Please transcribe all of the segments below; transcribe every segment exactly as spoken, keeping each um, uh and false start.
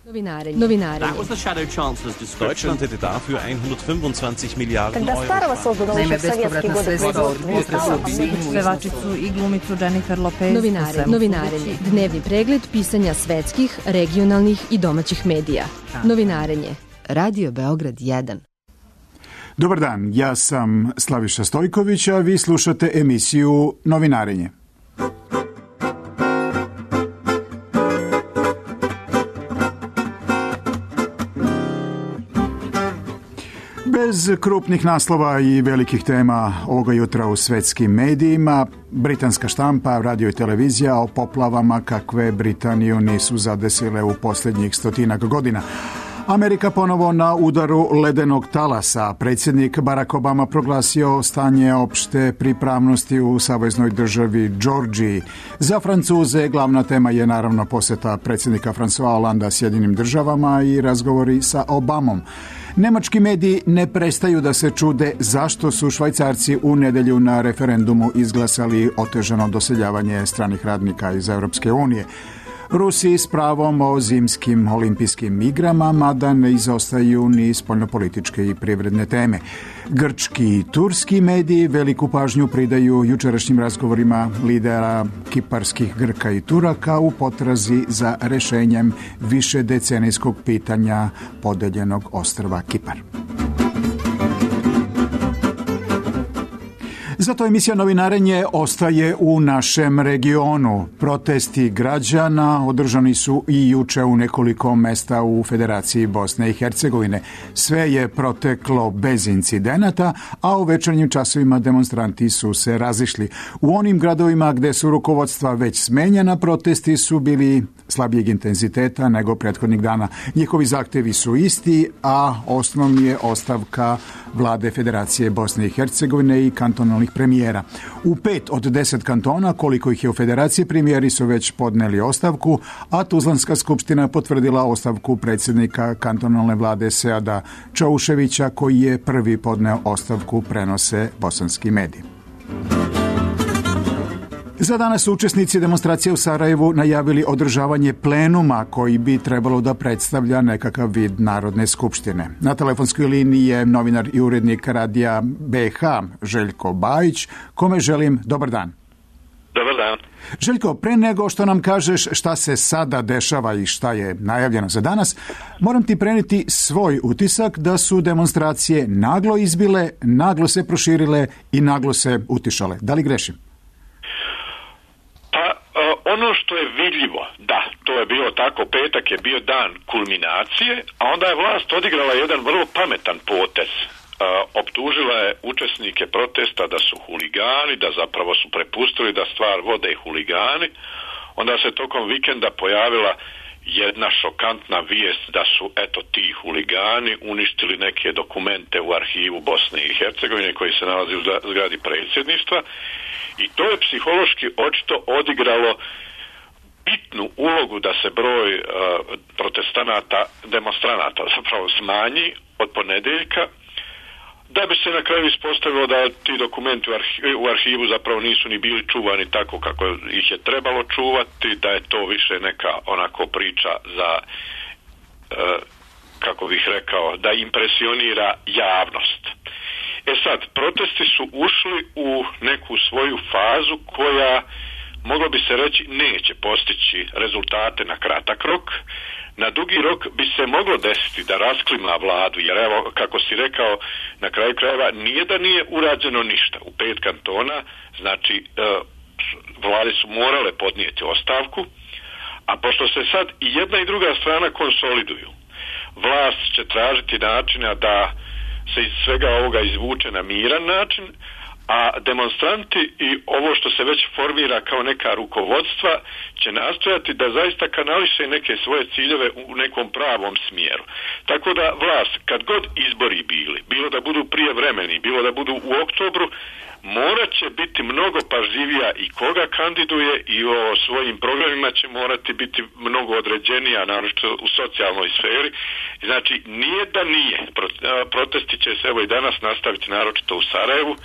Novinarenje. Novinarenje. Deutschland hätte dafür hundertfünfundzwanzig Milliarden Когда старого создано Naime, еще в советские годы производство. Pevačicu i glumicu Jennifer Lopez. Novinare, novinarenje. Dnevni pregled pisanja svetskih, regionalnih i domaćih medija. Novinarenje. Radio Beograd jedan. Dobar dan, ja sam Slaviša Stojković, a vi slušate emisiju Novinarenje. Bez krupnih naslova i velikih tema ovoga jutra u svetskim medijima, britanska štampa, radio i televizija o poplavama kakve Britaniju nisu zadesile u posljednjih stotinak godina. Amerika ponovo na udaru ledenog talasa. Predsjednik Barack Obama proglasio stanje opšte pripravnosti u saveznoj državi Georgiji. Za Francuze glavna tema je naravno posjeta predsjednika François Hollanda Sjedinim državama i razgovori sa Obamom. Nemački mediji ne prestaju da se čude zašto su Švajcarci u nedjelju na referendumu izglasali otežano doseljavanje stranih radnika iz Europske unije. Rusi s pravom o zimskim olimpijskim igrama, mada ne izostaju ni spoljnopolitičke i privredne teme. Grčki i turski mediji veliku pažnju pridaju jučerašnjim razgovorima lidera kiparskih Grka i Turaka u potrazi za rešenjem višedecenijskog pitanja podeljenog ostrva Kipar. Zato emisija Novinarenje ostaje u našem regionu. Protesti građana održani su i juče u nekoliko mesta u Federaciji Bosne i Hercegovine. Sve je proteklo bez incidenata, a u večernjim časovima demonstranti su se razišli. U onim gradovima gde su rukovodstva već smenjena, protesti su bili slabijeg intenziteta nego prethodnih dana. Njihovi zahtevi su isti, a osnovni je ostavka vlade Federacije Bosne i Hercegovine i kantonalnih premijera. U pet od deset kantona, koliko ih je u Federaciji, premijeri su već podneli ostavku, a Tuzlanska skupština potvrdila ostavku predsjednika kantonalne vlade Seada Čauševića, koji je prvi podneo ostavku, prenose bosanski mediji. Za danas su učesnici demonstracije u Sarajevu najavili održavanje plenuma koji bi trebalo da predstavlja nekakav vid Narodne skupštine. Na telefonskoj liniji je novinar i urednik radija B H Željko Bajić, kome želim dobar dan. Dobar dan. Željko, pre nego što nam kažeš šta se sada dešava i šta je najavljeno za danas, moram ti preneti svoj utisak da su demonstracije naglo izbile, naglo se proširile i naglo se utišale. Da li grešim? Pa, ono što je vidljivo, da, to je bilo tako, petak je bio dan kulminacije, a onda je vlast odigrala jedan vrlo pametan potez. Optužila je učesnike protesta da su huligani, da zapravo su prepustili da stvar vode huligani. Onda se tokom vikenda pojavila jedna šokantna vijest da su, eto, ti huligani uništili neke dokumente u arhivu Bosne i Hercegovine koji se nalazi u zgradi predsjedništva. I to je psihološki očito odigralo bitnu ulogu da se broj uh, protestanata, demonstranata zapravo smanji od ponedjeljka, da bi se na kraju ispostavilo da ti dokumenti u arhivu, u arhivu zapravo nisu ni bili čuvani tako kako ih je trebalo čuvati, da je to više neka onako priča za, uh, kako bih rekao, da impresionira javnost. E sad, protesti su ušli u neku svoju fazu koja, moglo bi se reći, neće postići rezultate na kratak rok. Na dugi rok bi se moglo desiti da rasklima vladu, jer evo, kako si rekao, na kraju krajeva nije da nije urađeno ništa. U pet kantona, znači, e, vlade su morale podnijeti ostavku, a pošto se sad i jedna i druga strana konsoliduju, vlast će tražiti načina da se iz svega ovoga izvuče na miran način, a demonstranti i ovo što se već formira kao neka rukovodstva će nastojati da zaista kanališe neke svoje ciljeve u nekom pravom smjeru. Tako da vlast, kad god izbori bili, bilo da budu prijevremeni, bilo da budu u oktobru, morat će biti mnogo pažljivija i koga kandiduje i o svojim programima će morati biti mnogo određenija, naročito u socijalnoj sferi. Znači, nije da nije. Protesti će se evo i danas nastaviti, naročito u Sarajevu.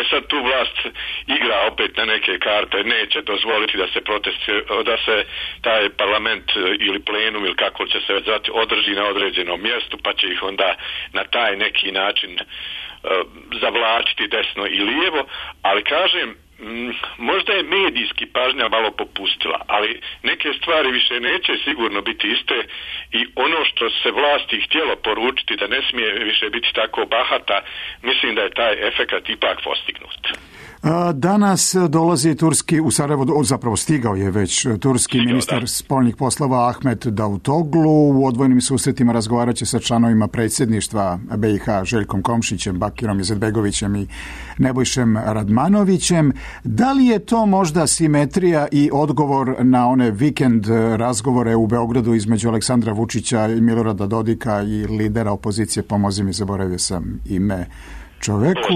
E sad tu vlast igra opet na neke karte, neće dozvoliti da se protest, da se taj parlament ili plenum ili kako će se zvati održi na određenom mjestu, pa će ih onda na taj neki način uh, zavlačiti desno i lijevo, ali kažem, možda je medijski pažnja malo popustila, ali neke stvari više neće sigurno biti iste i ono što se vlasti htjelo poručiti da ne smije više biti tako bahata, mislim da je taj efekat ipak postignut. Danas dolazi turski, u Sarajevo, zapravo stigao je već turski stigao, ministar da. spoljnih poslova Ahmet Davutoglu. U odvojenim susretima razgovarat će sa članovima predsjedništva B i H Željkom Komšićem, Bakirom Izetbegovićem i Nebojšem Radmanovićem. Da li je to možda simetrija i odgovor na one vikend razgovore u Beogradu između Aleksandra Vučića i Milorada Dodika i lidera opozicije, pomozi mi, zaboravio sam ime čoveku.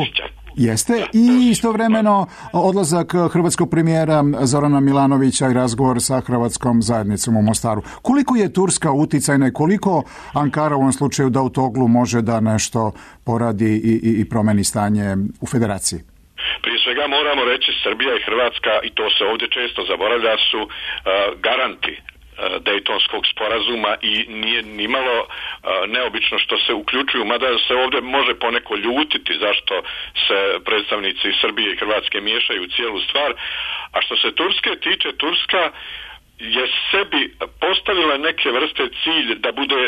Jeste, i istovremeno odlazak hrvatskog premijera Zorana Milanovića i razgovor sa hrvatskom zajednicom u Mostaru. Koliko je Turska uticajna i koliko Ankara u ovom slučaju Davutoglu može da nešto poradi i, i, i promeni stanje u federaciji? Prije svega moramo reći Srbija i Hrvatska, i to se ovdje često zaboravlja, su uh, garanti Dejtonskog sporazuma i nije nimalo uh, neobično što se uključuju, mada se ovdje može poneko ljutiti zašto se predstavnici Srbije i Hrvatske miješaju u cijelu stvar. A što se Turske tiče, Turska je sebi postavila neke vrste cilj da bude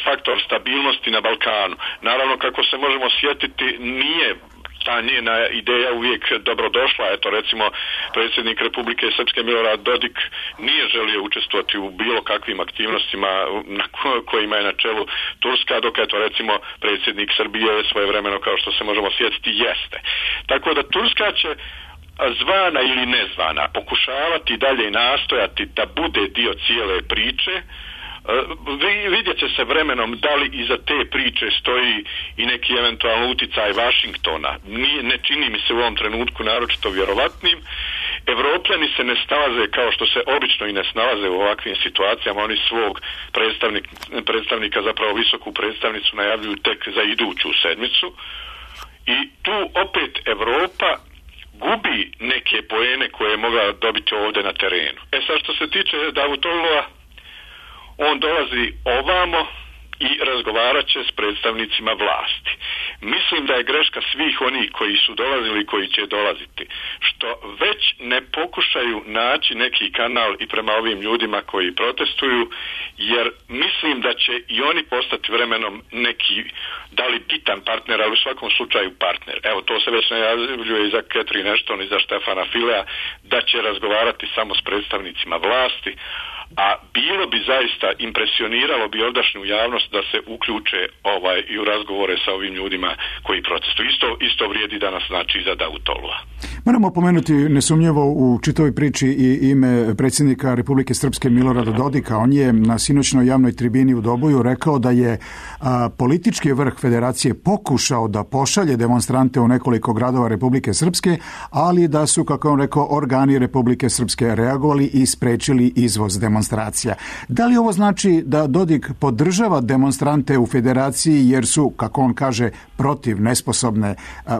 faktor stabilnosti na Balkanu. Naravno, kako se možemo sjetiti, nije ta njena ideja uvijek dobrodošla. Eto, recimo, predsjednik Republike Srpske Milorad Dodik nije želio učestvovati u bilo kakvim aktivnostima na kojima je na čelu Turska, dok eto, recimo, predsjednik Srbije svojevremeno, kao što se možemo sjetiti, jeste. Tako da Turska će zvana ili nezvana pokušavati dalje nastojati da bude dio cijele priče. Vidjet će se vremenom da li iza te priče stoji i neki eventualno uticaj Vašingtona. Nije, ne čini mi se u ovom trenutku naročito vjerovatnim. Evropljani se ne snalaze kao što se obično i ne snalaze u ovakvim situacijama. Oni svog predstavnik, predstavnika, zapravo visoku predstavnicu, najavljuju tek za iduću sedmicu. I tu opet Evropa gubi neke poene koje je mogla dobiti ovdje na terenu. E sad, što se tiče Davutoglua, on dolazi ovamo i razgovarat će s predstavnicima vlasti. Mislim da je greška svih onih koji su dolazili i koji će dolaziti, što već ne pokušaju naći neki kanal i prema ovim ljudima koji protestuju, jer mislim da će i oni postati vremenom neki, da li bitan partner, ali u svakom slučaju partner. Evo, to se već najavljuje i za Catherine Ashton i za Štefana Filea, da će razgovarati samo s predstavnicima vlasti, a bilo bi zaista, impresioniralo bi ovdašnju javnost da se uključe ovaj i u razgovore sa ovim ljudima koji protestuju. Isto, isto vrijedi danas, znači, za Davutoglua. Moramo pomenuti nesumnjivo u čitavoj priči i ime predsjednika Republike Srpske Milorada Dodika. On je na sinoćnoj javnoj tribini u Doboju rekao da je a, politički vrh federacije pokušao da pošalje demonstrante u nekoliko gradova Republike Srpske, ali da su, kako on rekao, organi Republike Srpske reagovali i sprečili izvoz demonstracija. Da li ovo znači da Dodik podržava demonstrante u federaciji jer su, kako on kaže, protiv nesposobne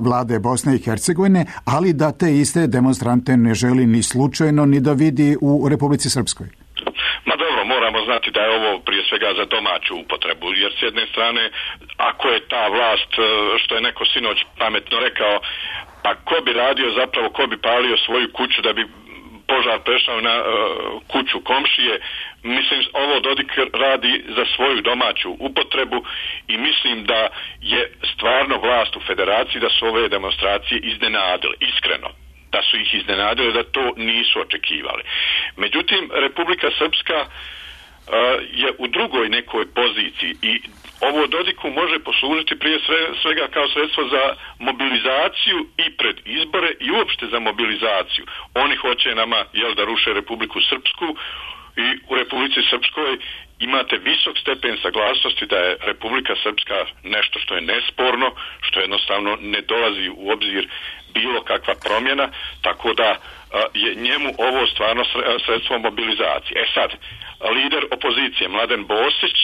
vlade Bosne i Hercegovine, ali da te iste demonstrante ne želi ni slučajno ni da vidi u Republici Srpskoj? Ma dobro, moramo znati da je ovo prije svega za domaću upotrebu, jer s jedne strane, ako je ta vlast, što je neko sinoć pametno rekao, pa ko bi radio zapravo, ko bi palio svoju kuću da bi požar prešao na uh, kuću komšije. Mislim, ovo Dodik radi za svoju domaću upotrebu i mislim da je stvarno vlast u federaciji da su ove demonstracije iznenadile, iskreno. Da su ih iznenadile, da to nisu očekivali. Međutim, Republika Srpska uh, je u drugoj nekoj poziciji i ovo Dodiku može poslužiti prije svega kao sredstvo za mobilizaciju i pred izbore i uopšte za mobilizaciju. Oni hoće nama, jel, da ruše Republiku Srpsku i u Republici Srpskoj imate visok stepen saglasnosti da je Republika Srpska nešto što je nesporno, što jednostavno ne dolazi u obzir bilo kakva promjena, tako da je njemu ovo stvarno sredstvo mobilizacije. E sad, lider opozicije Mladen Bosić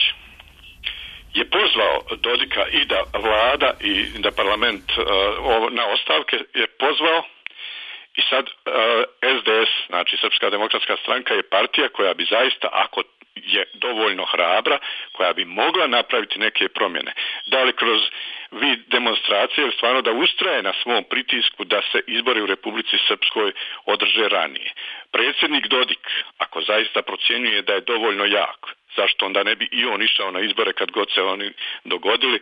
je pozvao Dodika i da vlada i da parlament uh, na ostavke je pozvao i sad uh, S D S, znači Srpska demokratska stranka, je partija koja bi zaista, ako je dovoljno hrabra, koja bi mogla napraviti neke promjene. Da li kroz vid demonstracije ili stvarno da ustraje na svom pritisku da se izbori u Republici Srpskoj održe ranije. Predsjednik Dodik, ako zaista procjenjuje da je dovoljno jak, zašto onda ne bi i on išao na izbore kad god se oni dogodili,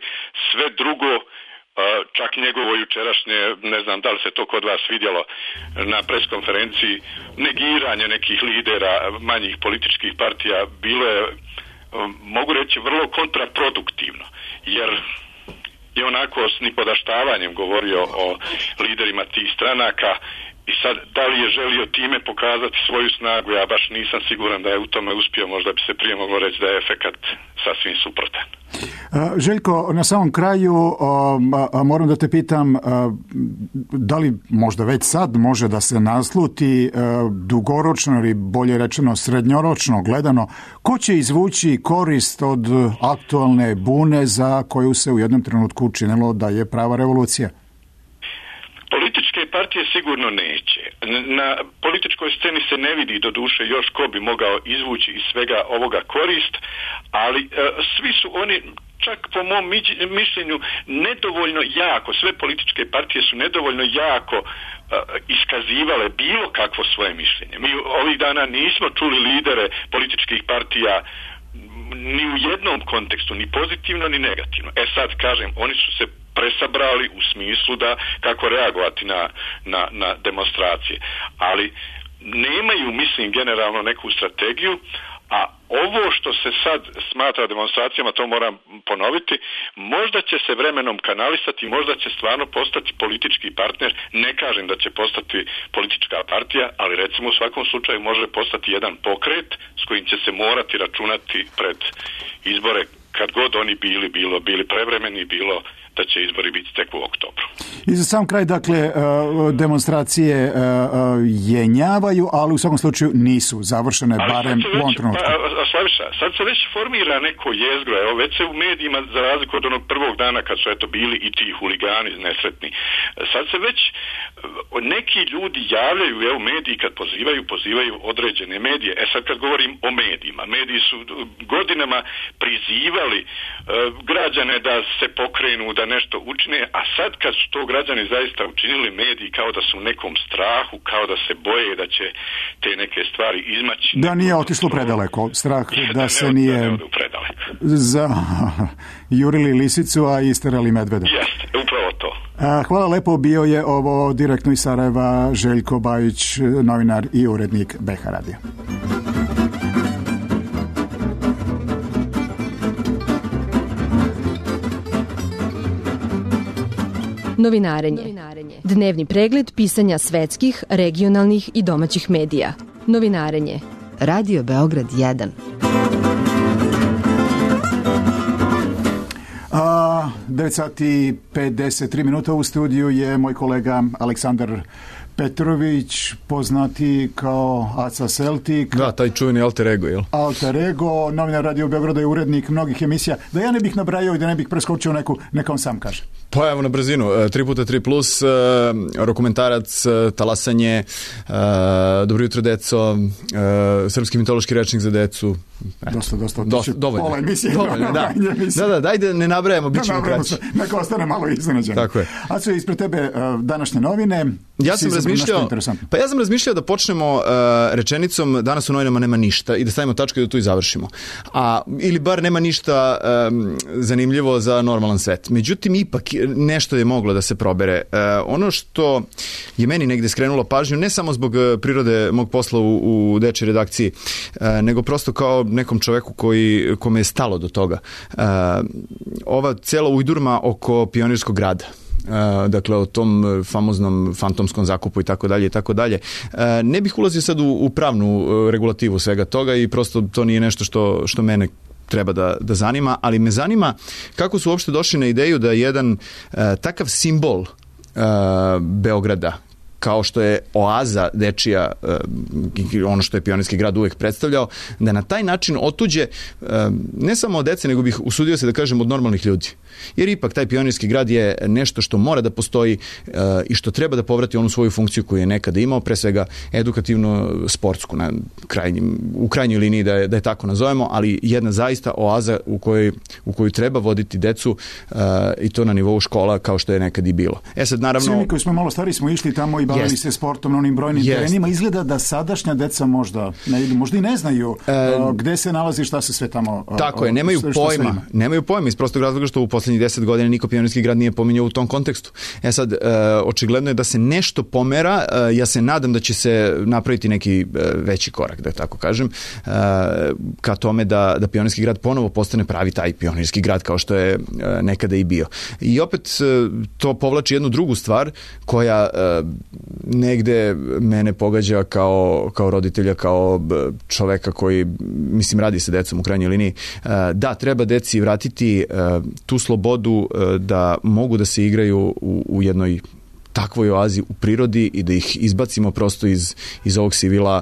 sve drugo, čak njegovo jučerašnje, ne znam da li se to kod vas vidjelo na preskonferenciji, negiranje nekih lidera manjih političkih partija, bilo je, mogu reći, vrlo kontraproduktivno, jer je onako s nipodaštavanjem govorio o liderima tih stranaka. I sad, da li je želio time pokazati svoju snagu, ja baš nisam siguran da je u tome uspio, možda bi se prije moglo reći da je efekat sasvim suprotan. Željko, na samom kraju moram da te pitam, da li možda već sad može da se nasluti dugoročno ili bolje rečeno srednjoročno gledano, ko će izvući korist od aktualne bune za koju se u jednom trenutku učinilo da je prava revolucija? Političke partije sigurno neće. Na političkoj sceni se ne vidi do duše još ko bi mogao izvući iz svega ovoga korist, ali e, svi su oni, čak po mom mišljenju, nedovoljno jako, sve političke partije su nedovoljno jako e, iskazivale bilo kakvo svoje mišljenje. Mi ovih dana nismo čuli lidere političkih partija ni u jednom kontekstu, ni pozitivno ni negativno. E sad kažem, oni su se presabrali u smislu da kako reagovati na, na, na demonstracije. Ali nemaju, mislim, generalno neku strategiju, a ovo što se sad smatra demonstracijama, to moram ponoviti, možda će se vremenom kanalisati, možda će stvarno postati politički partner, ne kažem da će postati politička partija, ali recimo u svakom slučaju može postati jedan pokret s kojim će se morati računati pred izbore, kad god oni bili, bilo, bili prevremeni, bilo da će izbori biti tek u oktobru. I za sam kraj, dakle, demonstracije jenjavaju, ali u svakom slučaju nisu završene, ali barem u ovom trenutku. Pa, Slaviša, sad se već formira neko jezgro, evo, već se u medijima, za razliku od onog prvog dana kad su eto bili i ti huligani nesretni, sad se već neki ljudi javljaju, evo, mediji kad pozivaju, pozivaju određene medije. E sad kad govorim o medijima, mediji su godinama prizivali uh, građane da se pokrenu, da nešto učine, a sad kad su to građani zaista učinili, mediji kao da su u nekom strahu, kao da se boje da će te neke stvari izmaći. Da nije otišlo predaleko, strah da, da se ne, nije da ne za jurili lisicu, a isterali medveda. Jeste, upravo to. Hvala lepo, bio je ovo direktno iz Sarajeva Željko Bajić, novinar i urednik B H radija. Novinarenje. Dnevni pregled pisanja svetskih, regionalnih i domaćih medija. Novinarenje. Radio Beograd jedan. A, devet sati pedeset tri minuta u studiju je moj kolega Aleksandar Petrović, poznati kao Aca Celtic. Da, taj čuveni alter ego, jel? Alter ego, novinar Radio Beograda i urednik mnogih emisija. Da ja ne bih nabrajao i da ne bih preskočio neku, neka on sam kaže. Pa evo na brzinu, tri puta tri plus, rokomentarac, talasanje, dobro jutro deco, srpski mitološki rečnik za decu. Dosta, dosta. dosta dovoljno. Pola emisije. Dovoljno, da. da, da, dajde ne nabrajamo, bit ćemo kraći. Neka ostane malo iznenađeno. Tako je. A su ispred tebe današnje novine. Ja sam razmišljao, pa ja sam razmišljao da počnemo uh, rečenicom danas u novinama nema ništa i da stavimo tačku i da tu i završimo. A, ili bar nema ništa um, zanimljivo za normalan svet. Međutim, ipak nešto je moglo da se probere. Uh, ono što je meni negde skrenulo pažnju, ne samo zbog prirode mog posla u, u dečoj redakciji, uh, nego prosto kao nekom čoveku koji, kome je stalo do toga. Uh, ova cela ujdurma oko Pionirskog grada, Uh, dakle o tom famoznom fantomskom zakupu i tako dalje i tako dalje. Ne bih ulazio sad u, u pravnu uh, regulativu svega toga i prosto to nije nešto što, što mene treba da, da zanima, ali me zanima kako su uopšte došli na ideju da jedan uh, takav simbol uh, Beograda kao što je oaza dečija, ono što je Pionirski grad uvek predstavljao, da na taj način otuđe ne samo od dece, nego bih usudio se da kažem od normalnih ljudi. Jer ipak taj Pionirski grad je nešto što mora da postoji i što treba da povrati onu svoju funkciju koju je nekada imao, pre svega edukativno-sportsku, na krajnjim, u krajnjoj liniji da je, da je tako nazovemo, ali jedna zaista oaza u kojoj, u koju treba voditi decu i to na nivou škola kao što je nekad i bilo. E sad, naravno... Svi mi koji smo malo stari smo išli tamo i bavili yes. se sportom na onim brojnim yes. terenima. Izgleda da sadašnja deca možda ne idu, možda i ne znaju e, gde se nalazi, šta se sve tamo... Tako je, nemaju pojma. Nemaju pojma iz prostog razloga što u poslednjih deset godina niko Pionirski grad nije pominjao u tom kontekstu. E sad, e, očigledno je da se nešto pomera. E, ja se nadam da će se napraviti neki e, veći korak, da tako kažem, e, ka tome da, da Pionirski grad ponovo postane pravi taj Pionirski grad kao što je e, nekada i bio. I opet e, to povlači jednu drugu stvar koja e, negde mene pogađa kao, kao roditelja, kao čoveka koji, mislim, radi sa decom u krajnjoj liniji. E, da, treba deci vratiti e, tu slobodu e, da mogu da se igraju u, u jednoj takvoj oazi u prirodi i da ih izbacimo prosto iz, iz ovog sivila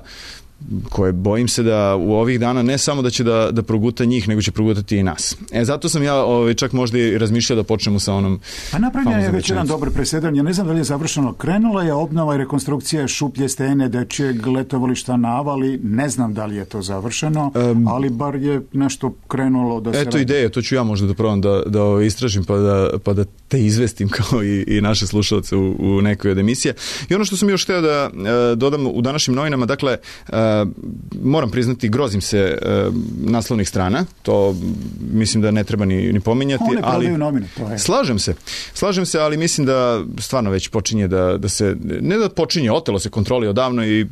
koje bojim se da u ovih dana ne samo da će da, da proguta njih, nego će progutati i nas. E, zato sam ja ovaj, čak možda i razmišljao da počnemo sa onom... A napravljen je već jedan dobar presedan. Ja ne znam da li je završeno. Krenula je obnova i rekonstrukcija šuplje stene dečijeg letovališta na Avali. Ne znam da li je to završeno, um, ali bar je nešto krenulo da se... Eto ideje, to ću ja možda da probam da, da istražim pa da, pa da te izvestim kao i, i naše slušalce u, u nekoj od emisije. I ono što sam još hteo da e, dodam u današnjim novinama, dakle, e, moram priznati, grozim se e, naslovnih strana, to mislim da ne treba ni, ni pominjati. One ali novine, to je. Slažem se, slažem se, ali mislim da stvarno već počinje da, da se, ne da počinje, otelo se kontroli odavno i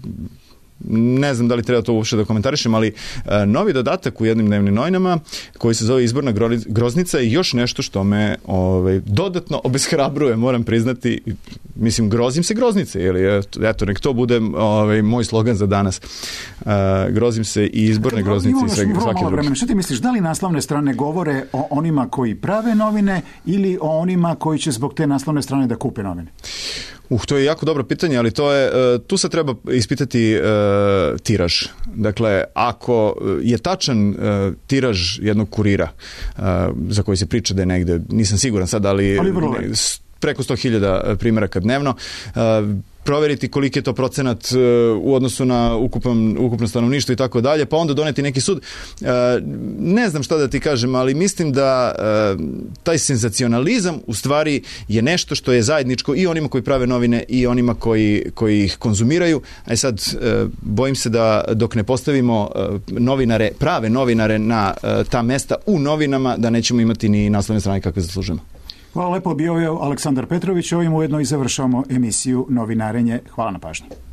ne znam da li treba to uopšte da komentarišem, ali e, novi dodatak u jednim dnevnim novinama koji se zove Izborna groznica i još nešto što me ovaj, dodatno obeshrabruje, moram priznati. Mislim, grozim se groznice, ili eto, nek to bude ovaj, moj slogan za danas. E, grozim se i izborne dakle, groznice i sve, svake druge. Što ti misliš, da li naslovne strane govore o onima koji prave novine ili o onima koji će zbog te naslovne strane da kupe novine? Uh, to je jako dobro pitanje, ali to je, tu se treba ispitati uh, tiraž. Dakle, ako je tačan uh, tiraž jednog kurira uh, za koji se priča da je negde, nisam siguran sad, ali, ali ne, preko sto hiljada primjeraka dnevno, uh, proveriti koliki je to procenat uh, u odnosu na ukupan, ukupno stanovništvo i tako dalje, pa onda doneti neki sud. Uh, ne znam šta da ti kažem, ali mislim da uh, taj senzacionalizam u stvari je nešto što je zajedničko i onima koji prave novine i onima koji, koji ih konzumiraju. A sad, uh, bojim se da dok ne postavimo uh, novinare, prave novinare na uh, ta mesta u novinama, da nećemo imati ni naslovne strane kakve zaslužujemo. Hvala lepo, bio je Aleksandar Petrović. Ovim ujedno i završavamo emisiju Novinarenje. Hvala na pažnji.